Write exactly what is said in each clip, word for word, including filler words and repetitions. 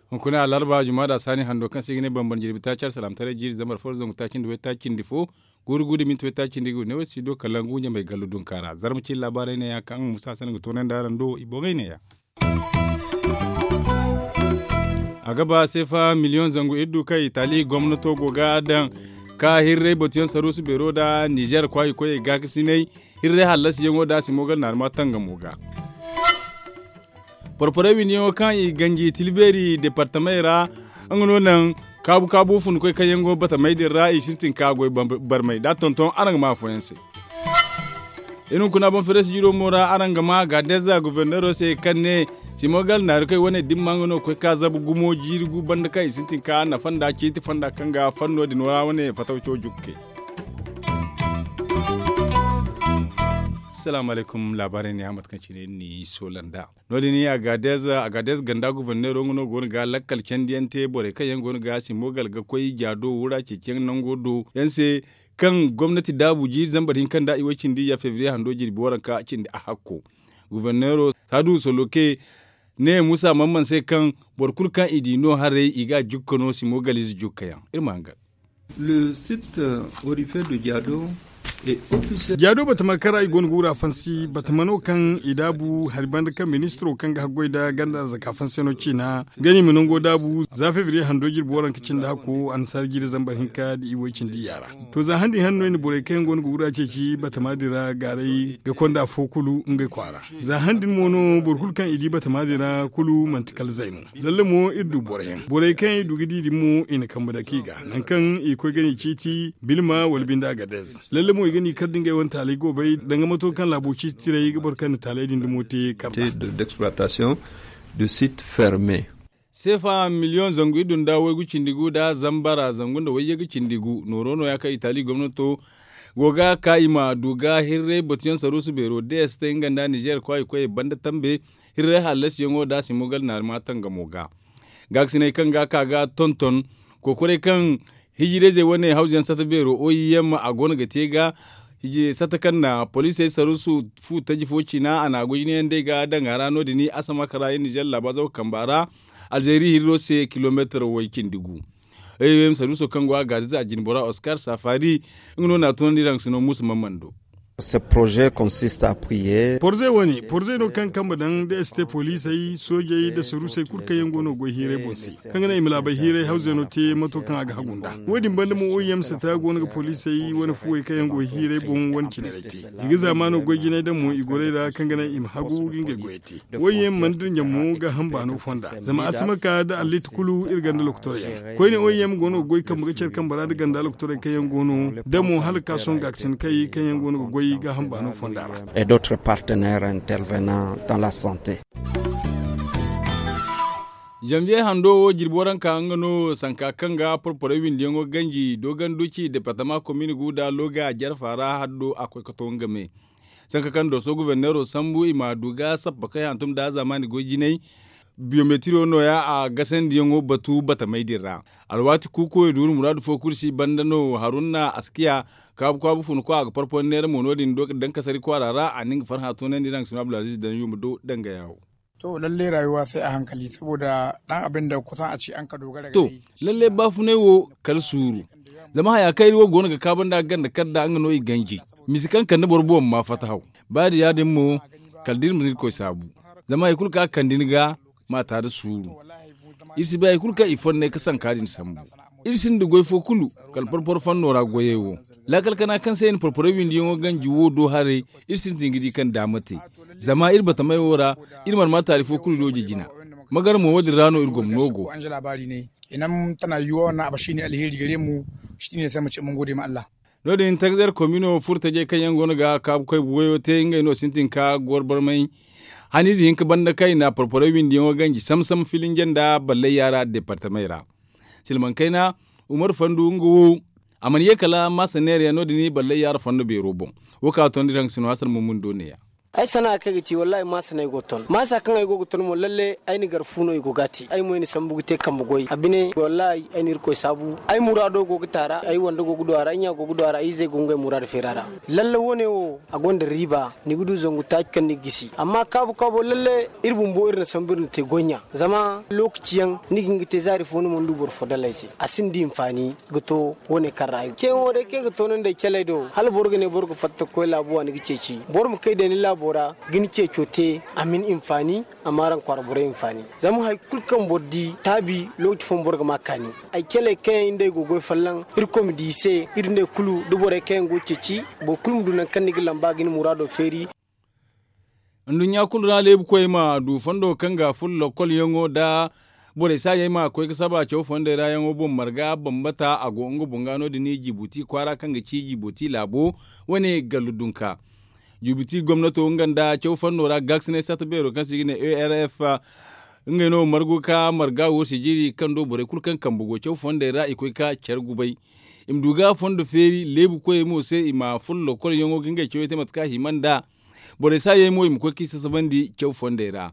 Hunkuna alarba juma da saani hando kaŋ se i ga ne bambam jirbi taaci alsalaamtaray jiiri zambar fo zangu taaci nda way taaci nda fo guuru guuru da minti way taaci nda i ga ne way si do kala ngu ɲamay gallu dunka ra zarma ciiri laabaarey ne- ya kaŋ musa hasan ga toonandi araŋ do i boŋey ne- ya. A ga ba seefa miliyoŋ zangu iri du kaŋ itali gomnato go ga a daŋ ka hirray batuyaŋ saruusu beero nda nizeer kwaayi koyey gaakasinay hirray hallasiyaŋo nda a si mo gar naarima tangamo ga. Porporey windiyaŋo kaŋ i ganji tilbeeri deepartamey ra nga no naŋ kaabu kaabu funkoy kaŋ yaŋ go batamey din ra i sintin ka goy barmay da a tonton araŋ ga ma afooyaŋ se. Iri hunkuna boŋ fereesi jiiro mo ra araŋ ga ma gaadeza goforneero se kaŋ ne simogal naarikey wane dimma nga no ga koy ka zabu gumo jiiri gu banda kaŋ i sintin ka nafa nda ciiti fonda kaŋ ga fanno din ra wane fatawco jukke. Salaamu alaykum laabaarey ne ya mate kaŋ cine ni soola nd'a. No- din a gaadez a gaadez ganda goforneero nga no go no ga lakkal candiyaŋ te borey kaŋ yaŋ go no ga simogal ga koy jaado wura ceeciyaŋ nango do yaŋ se kaŋ gomnati daabu jiiri zambar hinka nda i way cindi ya febriye hando jirbi waranka cindi a hakko. Goforneero saadu soloke ne musa mamman se kaŋ boro kulu kaŋ i di no haray i ga a jukka no simo galize jukkayaŋ iri ma hangan. Jaado batama kaŋ ra i go no ga wura fansi batama no kaŋ i daabu hari banda kaŋ ministiro kaŋ ga haggoy nda ganda arzaka fansiyano ciina ga ni ma nango daabu za febriye hando jirbi waranka cindi hakko annasaara jiiri zambar hinka nda i way cindi yaara. To za handi hanno i na borey kaŋ yaŋ go no ga wura ceeci batama din ra gaaray ga konda afo kulu ngey kwaara. Za han din mo no boro kulu kaŋ i di batama din ra kulu manti kala zay no. Lalle mo iri du boro yaŋ borey kaŋ i du ga di din mo i na kambe dake i ga nangu kaŋ i koy ga ni ciiti bilma wala binde agadez. Lalle mo i ga ni kar da ngey wane taaley goobey danga mato kaŋ laabo ciiti tiray ga boro kaŋ na taaley din dumo te kar da. Seefa miliyoŋ zangu iddu nda waygu cindi gu nda zambara zangu nda wayyagu cindi gu nooro nooya kaŋ itali gomnato go ga ka i ma du ga hirray batuyaŋ saruusu beero dst nga nda nizeer kwaayi koyey banda tambe hirray hallasiyaŋo nda a si mogal naarima tangamo ga. Gaakasiney kaŋ ga ka ga tonton kokoray kaŋ hijirayzey wane hawzayaŋ sata beero oim a go no ga te ga sata kaŋ na poliisey saruusu fu taji fo ciina a na a goy jinayaŋ day ga daŋ a ra no- din asamaka ra iri nizeer laabaazaw kamba ra. Alzeeri hirro se kilomeetar way cindi gu. Ay wey ma saruuso kaŋ go a gaadiza a jine bora oskar safari nga no na a tunandi iri haŋ sino muusa mamman do. Porze wane porze no kaŋ kambe daŋ da este poliisey soojey nda saruusey kulu kaŋ yaŋ go no ga goy hiiray boŋ se kaŋ ga naŋ i ma laabey hiiray hawzey no te mato kaŋ a ga hagu nd'a. Wo- din banda mo oim sata go no ga poliisey wane fuwey kaŋ yaŋ go hiiray boŋ wane cine ra i te. I ga zaamaano goy jinay daŋ mo i gorey ra kaŋ ga naŋ i ma hagu ga ngey goyey te. Woy yaŋ mana dira ɲamo gaaham baano fonda zama a si ma ka nda alliiti kulu iri ganda lokotorey yaŋ koyne woy yaŋ go no ga goy kambe ga care kambe ra nda ganda lokotorey kaŋ yaŋ go no da mo hala ga ka sohõ gaakasin kay kaŋ yaŋ go no ga goy gaaham baano fonda ra. Janviye hando wo jirbi waranka nga no sanka kaŋ ga porporey windiyaŋo ganji dooganduci departama komin gu nda loga jarfa ra haddo a koy ga to nga me. Sanka kaŋ dooso goforneero sambu i ma du ga sappa kay hantum nda zaamaani goy jinay. Biyometiro nooya a gasandiyaŋo batu batamey din ra. Alwaati kuukuwey duuru muraadu fo kulu si banda no haruna askiya kaabu kaabu funa ko a ga porporo neera mo no- din dankasari kwaara ra a na nga farhã toonandi iri haŋ ga sino abdulaziz daŋ yuma do dangaya wo. To lalle rayuwa sai a hankali saboda dan abin da kusan a ce an ka dogara to lalle baafunay wo kala suuru. Zama haya kaŋ iri wo go no ga kaaba nda ganda kala da nga no i ganji. Misi kaŋ kande boro boŋ ma fatta haw. Ba da ya- din mo kala da iri ma iri koy saabu. Zama hari kulu kaŋ a kande ni ga ma ta da suuru. Iri si bay hari kulu kaŋ i fonnay ga sanka din sambu. Iri sinda goy fo kulu kala porporo fanno ra goyey wo. Laakal kana kaŋ se i na porporey windiyaŋo ganji wo do haray. Iri sintin ga di kaŋ daama te. Zama iri batamey wo ra iri mana ma taali fo kulu dooje jina. Magar mo wo- din ra no iri gomno go. Kenan tana yuwa wannan abu shine alheri gare mu. Shine sai mu ce mun gode ma Allah. No- din tagzar komino furo tajey kaŋ yaŋ go no ga kaabu koy goyo te ngey no sintin ka goro barmay. Haniize hinka banda kaŋ i na porporey windiyaŋo ganji sam sam filinje nda ballay yaara departamey ra. Silmaŋ kayna, umaru fandu nga wo a mana ye kala maasa neera yaŋ no- din ballay yaara fondo beero boŋ. Wo kaŋ a toonandi iri haŋ sino hasar mummundo ne- ya. Ay sana'a kaŋ ay ga te wallaahi maasa no ay go ga ton maasa kaŋ ay go ga ton mo lalle ay na gar fu no i go ga a te ay mo ay na sambu ga te kambe goy a bine wallaahi ay na irkoy saabu. Ay muraado go ga taara ay wande go ga du a ra ay ɲa go ga du a ra ay izey go ga ngey muraado feeri a ra. Lalle wo- ne wo a gonda riiba ni ga du zangu taaci kaŋ ni ga gisi amma kaabu kaabo lalle iri bumbo iri na sambu iri na te goy ɲa. Zama lookaci yaŋ ni ga hin ga te zaari fo ni mana du boro fo dala ay se a sinda hinfaani. Ga to wo- ne kaŋ ra ay ga ceeyaŋo day kaŋ ay ga toonandi ay caley do hala boro ga ne boro ga fatta ga koy laabu waani ga ceeci boro ma kay day ni laabo ra ga ni ceeco te. A ma ni hinfaani a ma araŋ kwaara borey hinfaani. Zama hari kulu kaŋ boro di taabi lookaci fooyaŋ boro ga ma a kaani. Ay caley kaŋ yaŋ nda ay go ga goy folloŋ irkoy ma di i se iri ne kulu da borey kaŋ yaŋ go ga ceeci boro kulu ma du nangu kaŋ ni ga lamba ga ni muraado feeri. Nduɲɲa kulu ra leebu koyey ma du fondo kaŋ ga furo lokol yaŋo nda borey saayey ma koy ga saba caw fondey ra yaŋo boŋ marga bambata a go nga boŋ ga no- din jibuti kwaara kaŋ ga ci jibuti laabo wane gallu dunka. Jibuti gomnato nga nda caw fondo ra gaasinay satta beero kaŋ se i ga ne arf ngey no margu ka marga wo sijiri kaŋ do borey kulu kaŋ kambe go caw fondey ra i koy ka care gubay. I ma du ga fondo feeri leebu koyey mo se i ma furo lokol yaŋo ga ngey cawey te mate kaŋ a hima nd'a. Borey saayey mo i ma koy kaŋ i sasabandi caw fondey ra.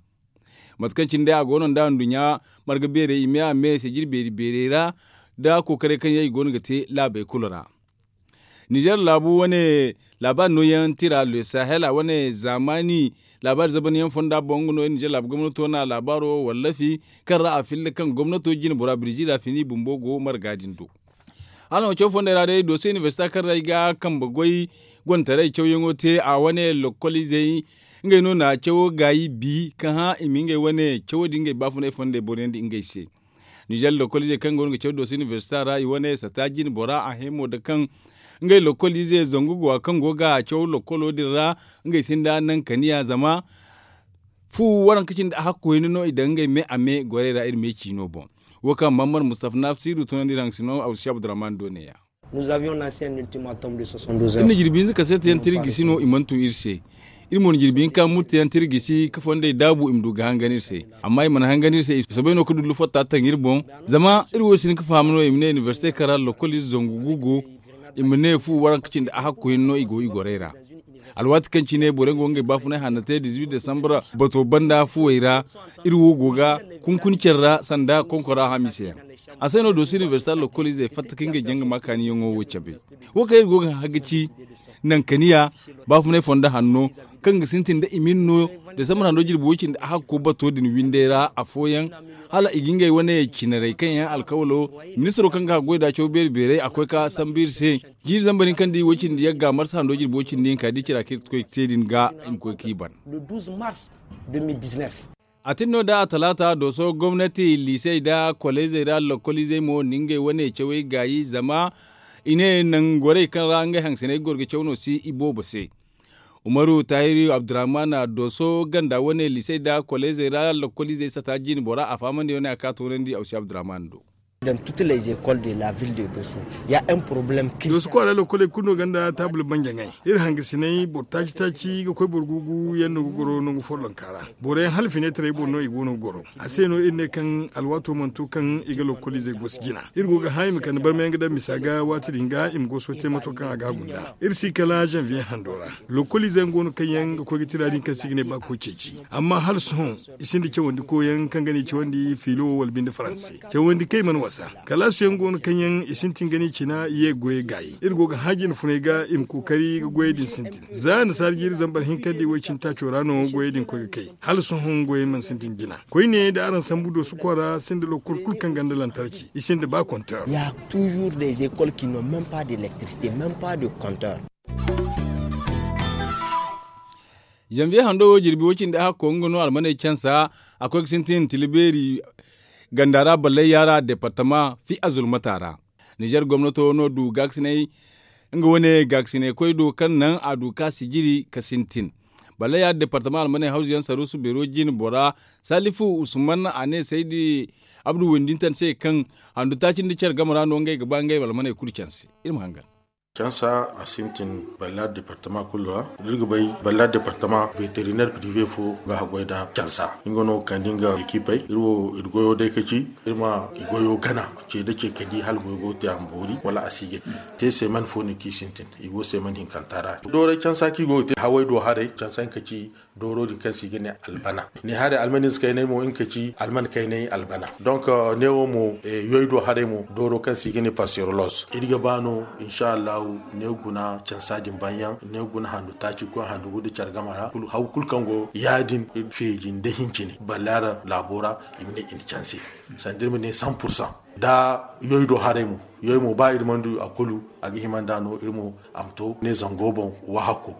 Mate kaŋ cine day a go no nda nduɲɲa marga beerey i me a me sijiri beeri beerey ra nda kookaray kaŋ yaŋ i go no ga te laabey kulu ra. Ninzeer laabu wane laabaari nooyaŋ tira le sahela wane zaamaani laabaari zabanyaŋ fonda boŋ nga no ninzeer laabu gomnato na laabaaro wallafi kaŋ ra a filla kaŋ gomnato jine bora birji ra fini bumbo go marga din do. Hala no caw fondey ra day doso inibersita kaŋ ra ay ga kambe goy gontaray cawyaŋo te a wane lokol izey ngey no na cawo gaayi bi ka hã i ma ngey wane cawo din ngey baafunay fondey boroyaŋ di ngey se. Nizer lokol izey kaŋ go no ga caw doso inibersita ra i wane sata jine bora a hẽ mo da kaŋ ngey lokol izey zangu go a kaŋ go ga caw lokolo din ra ngey sinda naŋ kaniya zama fu waranka cindi a hakku hinne no i daŋ ngey me a me gorey ra iri me ciino boŋ. Wo kaŋ mammar mustafa nafsiru tunandi iri haŋ sino awsi abdurrahman do neeya. Iri na jirbi hinza kaseeta yaŋ te iri gisi no i mana tun iri se. Iri mo na jirbi hinka murte yaŋ te iri gisi ka fondey daabu i ma du ga hangan iri se. Amma i mana hangan iri se i soobay no ka dullu fatta taŋ iri boŋ. Zama iri wo si hin ga faham no i ma ne inibersite kaŋ ra lokol ize zangu gu go i ma ne fu waranka cindi a hakku hinne no i go i gorey ra. Alwaati kaŋ cine boro yaŋ go ngey baafunay hanna te dizuwit desambra bato banda fuwey ra. Iri wo go ga kunkuni care ra sanda konkora hamiise yaŋ. A se no doosu inibersita lokol izey fatta ka ngey janga ma kaaniyaŋo wo cabe. Wo kaŋ iri go ga hã ga ci nankaniya baafunay fondo hanno kaŋ ga sintin nda i ma iri no desambra hando jirbi wo cindi a hakko bato din windey ra afooyaŋ hala i ga ngey wane cinarey kaŋ yaŋ alkawalo ministiro kaŋ ga haggoy da caw beeri beerey a koy ka sambu iri se. Jiiri zambar hinka nda i wo cindi yagga marsa hando jirbi wo cindi hinka da i cira kaŋ iri ga koy ga te din ga i ma koy k'i ban. A tin no da a talaata dooso gomnati liisey nda koleezey ra lokol izey mo na ngey wane cawey gaayi zama i ne nangorey kaŋ ra ngey hangasiney goro ga caw no si i boobo se. Umaru tahiri abdurrahman dooso ganda wane liisey nda koleezey ra lokol izey sata jiine bora a fahamandi wane a ka toonandi awsi abdurrahman do. Doosu kwaara lokkoley kulu no gonda taabul banjaŋey. Iri hangasiney boro taaci taaci ga koy boro guugu yaŋ no ga goro nangu follonka ra. Boro yaŋ hala fineetarey boŋ no i go no ga goro. A se no iri ne kaŋ alwaato mana to kaŋ i ga lokkol izey gosi jina. Iri go ga hã i ma kande barmayaŋ ga daŋ misa ga waati din ga i ma goso te mato kaŋ a ga a gunda iri si kala zanviye hando ra. Lokkol izey yaŋ go no kaŋ yaŋ ga koy ga tira din kaŋ se i ga ne ba koy ceeci. Amma hala sohõ i sinda cawandi koyaŋ kaŋ ga ne i cawandi fiilo wala binde faranse cawandi kaŋ i mana wasa. Kalaasu yaŋ go no kaŋ yaŋ i sintin ga ne i cina i ye ga goyey gaayi iri go ga hã jine funey ga i ma kookari ga goyey din sintin. Za annasaara jiiri zambar hinka nda i woy cine taaco ra no goyey din koy ga kay. Hala sohõ goyey mana sintin jina koyne da araŋ sambu doosu kwaara sinda lokkol kulu kaŋ gonda lantarki i sinda ba kontor. Ya toujours des écoles qui n'ont même pas d'électricité même pas de compteur. Zanviye hando wo jirbi wo cindi a hakko nga no almaney cansa a koy ga sintin tila beeri ganda ra ballayya ra departama fi a zulmata ra. Nizer gomnato no du gaakasinay nga wane gaakasinay koy do kaŋ naŋ a du ka sijiri ka sintin. Ballayya departama almaney hawzu yaŋ saruusu beero jine bora salifu usman a ne saydi abdu windintan se kaŋ handu taaci nda care game ra no ngey ga ba ngey almaney kulu canse. Iri ma hangan. Cansa a sintin ballari departama kulu ra. Da iri ga bay ballari departama veteriner prive fo ga haggoy nda cansa. Nga no ga kande nga ekipey iri wo iri goyo day ka ci iri ma i goyo gana. Ce nda ce ka di hala goyo go ga te a ma boori wala a si ga te seeman fo no kaŋ i sintin. I go seeman hinkanta ra dooray cansa kaŋ i go ga te haway do haray cansa yaŋ ka ci dooro din kaŋ se i ga ne albana. Ne haray almanis kaynay mo nga ka ci alman kaynay albana. Donk neewo mo yoy do haray mo dooro kaŋ se i ga ne pasterolos iri ga ba no. Insa allahu ne guna cansa din banyaŋ ne guna handu taaci koy handu gu nda care game ra haw kulu kaŋ go ya- din feeji nda hincine ballari laabo ra. I ma ne i na canse sanda iri ma ne san pursan. Da yoy do haray mo yoy mo ba iri mana du a kulu a ga hima nd'a no iri mo a ma to ne zango boŋ. Wahakku.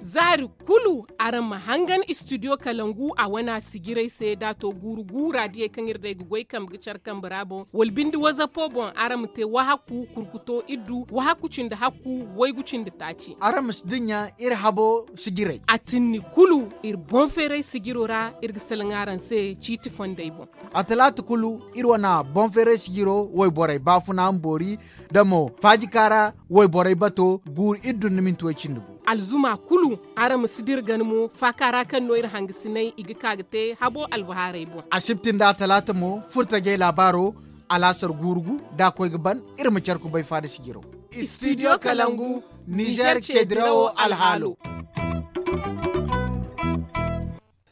Zaari kulu araŋ ma hangan istidiyo kalangu a wana sijiray se da a to guuru guura diyey kaŋ iri day ga goy kambe ga care kambe ra boŋ wala binde wazapo boŋ araŋ ma te wahakku kurkuto iddu wahakku cindi hakku waygu cindi taaci. Araŋ ma si dinya iri habo sijiray a tinni kulu iri boŋ feeray sijiro ra. Iri ga salaŋ araŋ se ciiti fondey boŋ. A talaata kulu iri wana boŋ feeray sijiro wayborey baafuna ma boori da mo faajika ra wayborey bato guuru iddu nda minti way cindi gu. Alzuma kulu araŋ ma si dira gana mo faaka ra kaŋ no iri hangasinay i ga ka ga te habo albahaarey boŋ. Asibti nda a talaata mo furtajey laabaaro alaasar guuru gu da a koy ga ban. Iri ma care kubay faada sijiro. Istidiyo kalangu nizer ceedirawo alhaalo.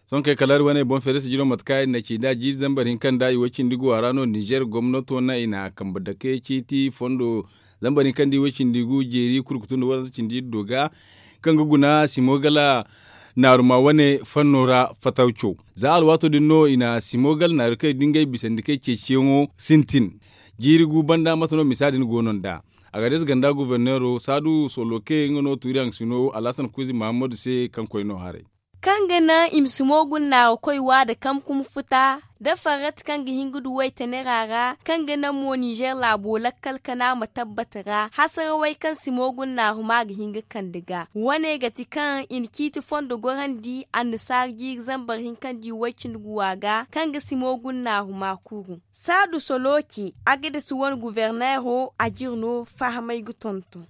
Sohõ kay kala hari wane boŋ feere sijiro mate kaŋ i na ci nd'a jiiri zambar hinka nda i way cindi gu a ra no nizer gomnato naŋ i na kambe dake ciiti fondo zambar hinka nda i way cindi gu jeeri kurkutu nda waransa cindi iddo ga kaŋ ga guna simogal naaruma wane fanno ra fatawco. Za alwaato din no i na simogal naaru kaŋ i da ngey bisandi kaŋ i ceeciyaŋo sintin. Jiiri gu banda mate no misa din go no nd'a. Agades ganda guverneero saadu soloke nga no tuuri haŋ sino alhasan kuuzi mahammadu se kaŋ koy no haray. Kaŋ ga naŋ i ma si moogun naaru koy waada kamkum futa da farrati kaŋ ga hin ga du waytanera ra kaŋ ga naŋ mo nizer laabo lakkal kana ma tabbata ra hasarawey kaŋ si moogun naaru ma ga hin ga kande ga wane ga ti kaŋ i na ciiti fondo gorandi annasaara jiiri zambar hinka nda i way cindi guwa ga kaŋ ga si moogun naaru ma kuru. Saadu soloki agades wane guverneero a jire no fahamay ga tonton.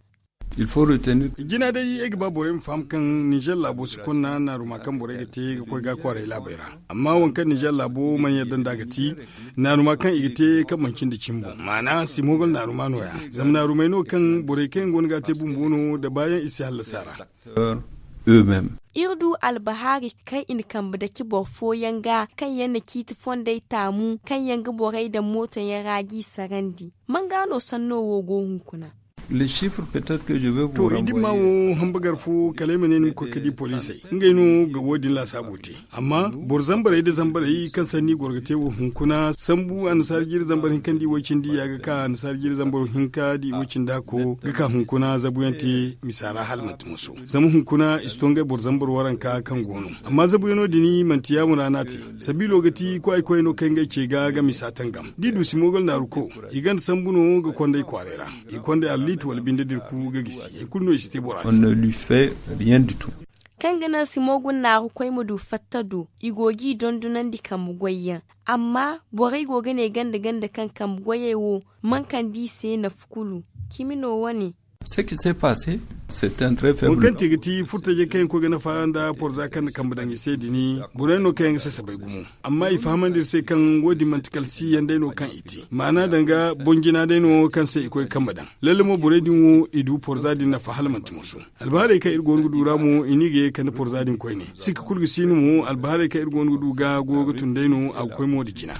Jina day ay ga ba borey ma faham kaŋ nizer laabo si konna naaruma kaŋ borey ga te ga koy ga kwaaray laabey ra. Amma waŋ kaŋ nizer laabo mana yadda nd'a ga ti naaruma kaŋ i ga te kaŋ manci nda cimbo maana si moogal naaruma nooya. Zama naarumey no kaŋ borey kaŋ yaŋ go no ga a te bumbo no nda baayaŋ i si hallasa ra. Iri du albahaari kaŋ i na kambe dake boro fooyaŋ ga kaŋ yaŋ na ciiti fondey taamu kaŋ yaŋ ga borey daŋ mooto yaŋ ra g'i sarandi. Man ga no sanno wo go hunkuna? To i dimma wo hambagar fo kala ay ma ne ni ma koy ga di poliisey ngey no ga wo- din laasaabo te. Amma boro zambarey nda zambarey kaŋ sanni goro ga te wo hunkuna sambu annasaara jiiri zambar hinka nda i way cindi ya ga ka annasaara jiiri zambar hinka nda i way cindi hakko ga ka hunkuna zabuyaŋ te misa ra hala manti moso. Zama hunkuna i si to ngey boro zambar waranka kaŋ go no. Amma zabuyaŋo din manti yaamo ra no a te. Sabiilo ga ti kwaay kwaay no kaŋ ngey ce ga ga misa tangam da i du si moogal naaru ko i ganda sambu no ga kond'ey kwaaray ra. I kond'ey alliit wala binde dirku ga gisi hay kulu no i si te bora se. Kaŋ ga naŋ si moogun naaru koy ma du fatta do i go g'i dondonandi kambe goyyaŋ. Amma borey go ga ne ganda ganda kaŋ kambe goyey wo man kande i se nafa kulu. Cimi no wane. Waŋ kaŋ te ga ti furtajey kaŋ yaŋ koy ga nafa nda porza kaŋ na kambe daŋ i se din borey no kaŋ yaŋ ga sasabay gumo. Amma i fahamandi iri se kaŋ wo- din manti kala si yaŋ day no kaŋ i te maana danga boŋ jina day no kaŋ se i koy ga kambe daŋ. Lalle mo borey din wo i du porza din nafa hala manti moso. Albahaarey kaŋ iri go no ga du ra mo i n'i ga ye ga kande porza din koyne. Sikka kulu ga si no mo albahaarey kaŋ iri go no ga du ga go ga tun day no a ga koy mo nda jina.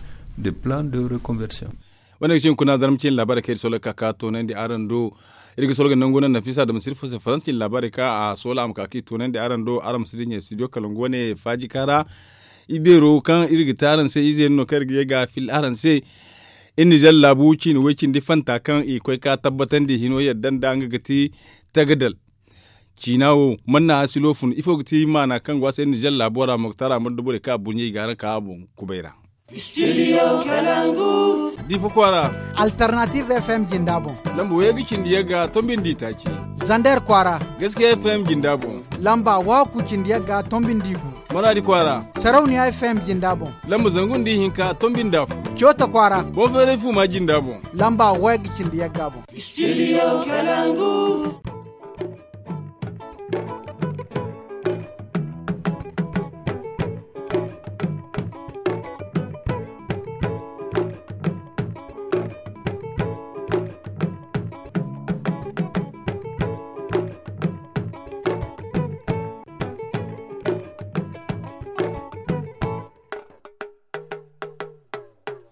Wane ga ci hunkuna zarma ciine laabaarey kaŋ iri solo ga ka ga toonandi araŋ do. Iri ga solo ga nangu naŋ nafisa dama sirfo se faransa ciine laabaarey kaŋ a solo a ma ka ga i toonandi araŋ do araŋ ma si dinya studio kalangu wane faajika ra. Ibeero kaŋ iri ga te araŋ se ize yaŋ no kaŋ iri ga ye ga a fil araŋ se. Iri nizer laabu ciine way cindi fanta kaŋ i koy ka tabbatandi hino yadda nda nga ga ti tagadal. Ciina wo mana a silo fun ifo ga ti maana kaŋ go a se iri nizer laabo ra moktar a mana da borey kaŋ a burɲey i ga araŋ ka a boŋ kubay ra. Studio kalangu. Difa kwaara. Alternative f m jinda boŋ. Lamba wayey ga cindi yagga tombindi taaci. Zander kwaara. Gaskiya f m jinda boŋ. Lamba waku cindi yagga tombindi gu. Maraadi kwaara. Sarauniya F M jinda boŋ. Lamba zangu nda ihinka tombi nda afo. Coota kwaara. Boŋ feeray fuuma jinda boŋ. Lamba wayga cindi yagga boŋ. Studio Kalangu.